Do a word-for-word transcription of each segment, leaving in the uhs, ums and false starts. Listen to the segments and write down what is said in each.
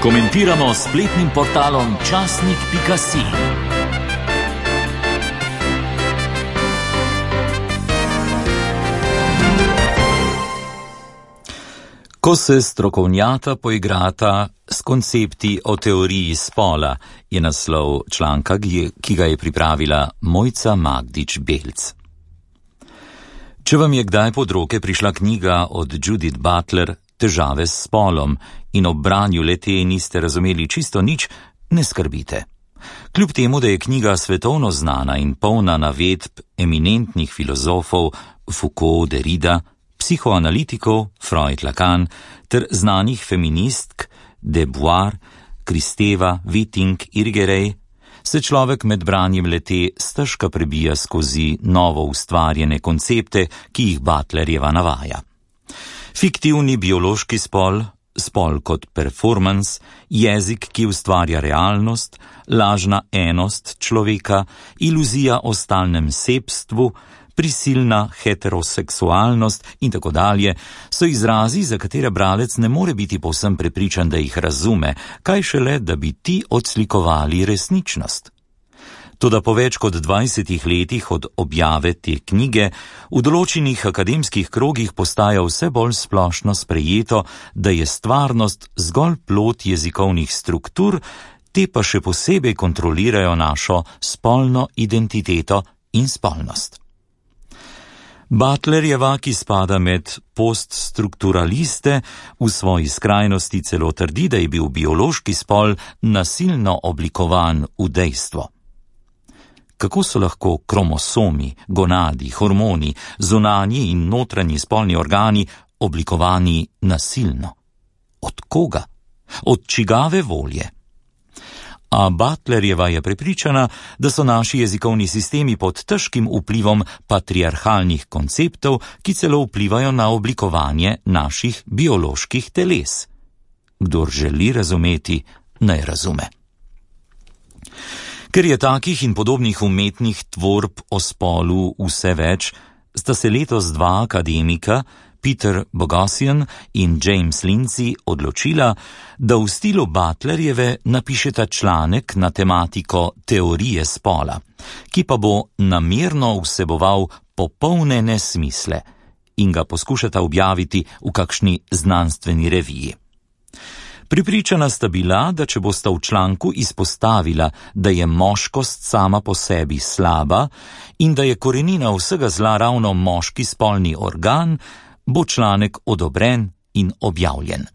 Komentiramo s spletnim portalom časnik pika si. Ko se strokovnjata poigrata s koncepti o teoriji spola, je naslov članka, ki ga je pripravila Mojca Magdič Belc. Če vam je kdaj pod roke prišla knjiga od Judith Butler Težave s spolom in ob branju le-te niste razumeli čisto nič, ne skrbite. Kljub temu, da je knjiga svetovno znana in polna navedb eminentnih filozofov Foucault, Derrida, psihoanalitikov Freud, Lacan ter znanih feministk De Beauvoir, Kristeva, Witting, Irigaray, se človek med branjem le-te stežka prebija skozi novo ustvarjene koncepte, ki jih Butlerjeva navaja. Fiktivni biološki spol, spol kot performance, jezik, ki ustvarja realnost, lažna enost človeka, iluzija o stalnem sebstvu, prisilna heteroseksualnost in tako dalje, so izrazi, za katere bralec ne more biti povsem prepričan, da jih razume, kaj šele, da bi ti odslikovali resničnost. Toda po več kot dvajsetih letih od objave te knjige v določenih akademskih krogih postaja vse bolj splošno sprejeto, da je stvarnost zgolj plod jezikovnih struktur, te pa še posebej kontrolirajo našo spolno identiteto in spolnost. Butlerjeva, ki spada med poststrukturaliste, v svoji skrajnosti celo trdi, da je bil biološki spol nasilno oblikovan v dejstvo. Kako so lahko kromosomi, gonadi, hormoni, zunanji in notranji spolni organi oblikovani nasilno? Od koga? Od čigave volje? A Butlerjeva je prepričana, da so naši jezikovni sistemi pod težkim vplivom patriarhalnih konceptov, ki celo vplivajo na oblikovanje naših bioloških teles. Kdor želi razumeti, naj razume. Ker je takih in podobnih umetnih tvorb o spolu vse več, sta se letos dva akademika, Peter Boghossian in James Lindsay, odločila, da v stilu Butlerjeve napišeta članek na tematiko teorije spola, ki pa bo namerno vseboval popolne nesmisle in ga poskušata objaviti v kakšni znanstveni reviji. Pripričana sta bila, da če bosta v članku izpostavila, da je moškost sama po sebi slaba in da je korenina vsega zla ravno moški spolni organ, bo članek odobren in objavljen.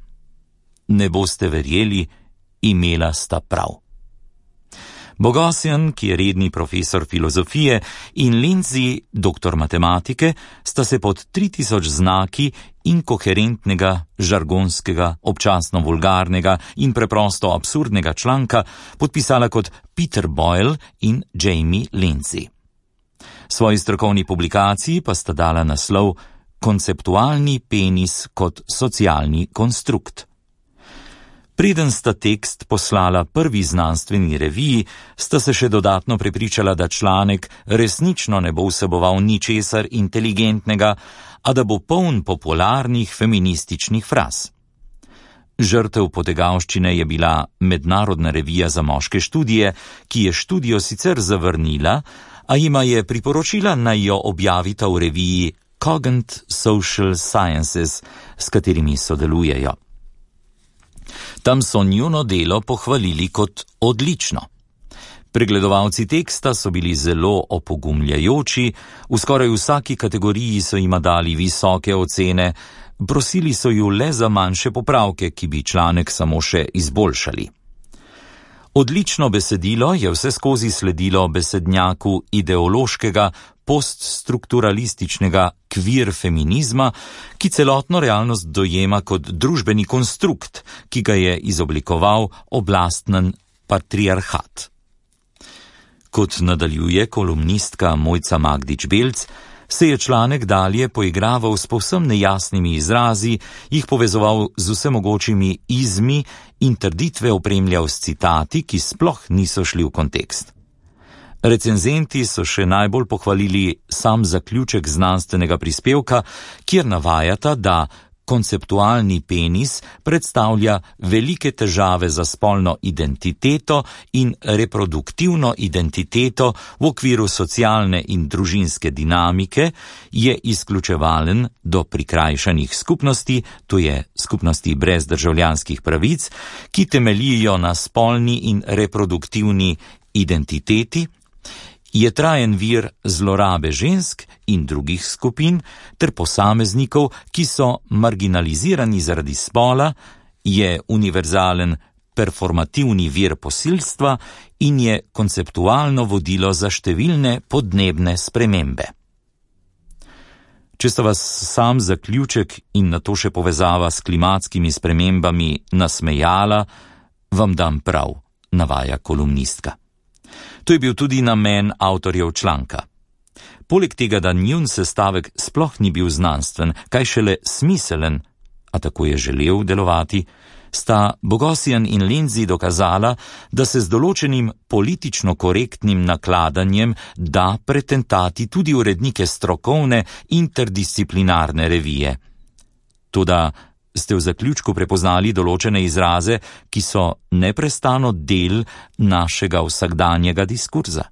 Ne boste verjeli, imela sta prav. Boghossian, ki je redni profesor filozofije, in Lindsay, doktor matematike, sta se pod tri tisoč znaki inkoherentnega, žargonskega, občasno vulgarnega in preprosto absurdnega članka podpisala kot Peter Boyle in Jamie Lindsay. Svoji strokovni publikaciji pa sta dala naslov Konceptualni penis kot socialni konstrukt. Preden sta tekst poslala prvi znanstveni reviji, sta se še dodatno prepričala, da članek resnično ne bo vseboval ničesar inteligentnega, a da bo poln popularnih feminističnih fraz. Žrtev potegavščine je bila Mednarodna revija za moške študije, ki je študijo sicer zavrnila, a jima je priporočila, naj jo objavita v reviji Cogent Social Sciences, s katerimi sodelujejo. Tam so njuno delo pohvalili kot odlično. Pregledovalci teksta so bili zelo opogumljajoči, v skoraj vsaki kategoriji so jima dali visoke ocene, prosili so ju le za manjše popravke, ki bi članek samo še izboljšali. Odlično besedilo je vse skozi sledilo besednjaku ideološkega, poststrukturalističnega kvir feminizma, ki celotno realnost dojema kot družbeni konstrukt, ki ga je izoblikoval oblastnen patriarhat. Kot nadaljuje kolumnistka Mojca Magdič Belc, se je članek dalje poigraval s povsem nejasnimi izrazi, jih povezoval z vsemogočimi izmi in trditve opremljal s citati, ki sploh niso šli v kontekst. Recenzenti so še najbolj pohvalili sam zaključek znanstvenega prispevka, kjer navajata, da konceptualni penis predstavlja velike težave za spolno identiteto in reproduktivno identiteto v okviru socialne in družinske dinamike, je izključevalen do prikrajšanih skupnosti, to je skupnosti brez državljanskih pravic, ki temeljijo na spolni in reproduktivni identiteti, je trajen vir zlorabe žensk in drugih skupin ter posameznikov, ki so marginalizirani zaradi spola, je univerzalen performativni vir posilstva in je konceptualno vodilo za številne podnebne spremembe. Če sta vas sam zaključek in nato še povezava s klimatskimi spremembami nasmejala, vam dam prav, navaja kolumnistka. To je bil tudi namen avtorjev članka. Poleg tega, da njun sestavek sploh ni bil znanstven, kaj šele smiselen, a tako je želel delovati, sta Bogosian in Lindsay dokazala, da se z določenim politično korektnim nakladanjem da pretentati tudi urednike strokovne interdisciplinarne revije. Toda ste v zaključku prepoznali določene izraze, ki so neprestano del našega vsakdanjega diskurza.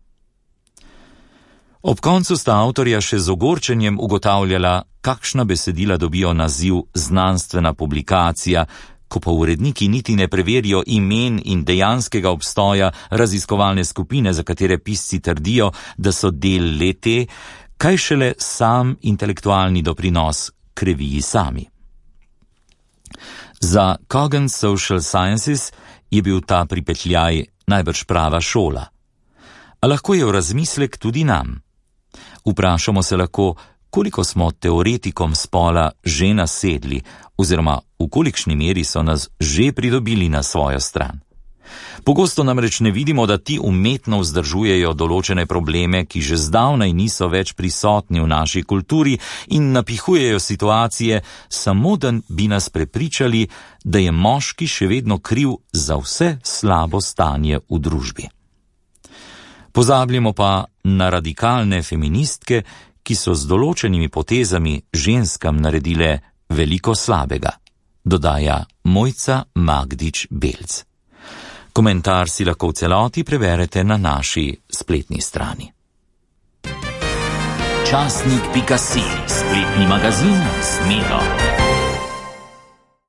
Ob koncu sta avtorja še z ogorčenjem ugotavljala, kakšna besedila dobijo naziv znanstvena publikacija, ko pa uredniki niti ne preverijo imen in dejanskega obstoja raziskovalne skupine, za katere pisci trdijo, da so del le-te, kaj šele sam intelektualni doprinos k reviji sami. Za Coggan's Social Sciences je bil ta pripetljaj najbrž prava šola. A lahko je v razmislek tudi nam. Vprašamo se lahko, koliko smo teoretikom spola že nasedli, oziroma v kolikšni meri so nas že pridobili na svojo stran. Pogosto namreč ne vidimo, da ti umetno vzdržujejo določene probleme, ki že zdavnaj niso več prisotni v naši kulturi in napihujejo situacije, samo da bi nas prepričali, da je moški še vedno kriv za vse slabo stanje v družbi. Pozabljamo pa na radikalne feministke, ki so z določenimi potezami ženskam naredile veliko slabega, dodaja Mojca Magdič Belc. Komentar si lahko v celoti preberete na naši spletni strani. Časnik pika si, spletni magazin Smelo.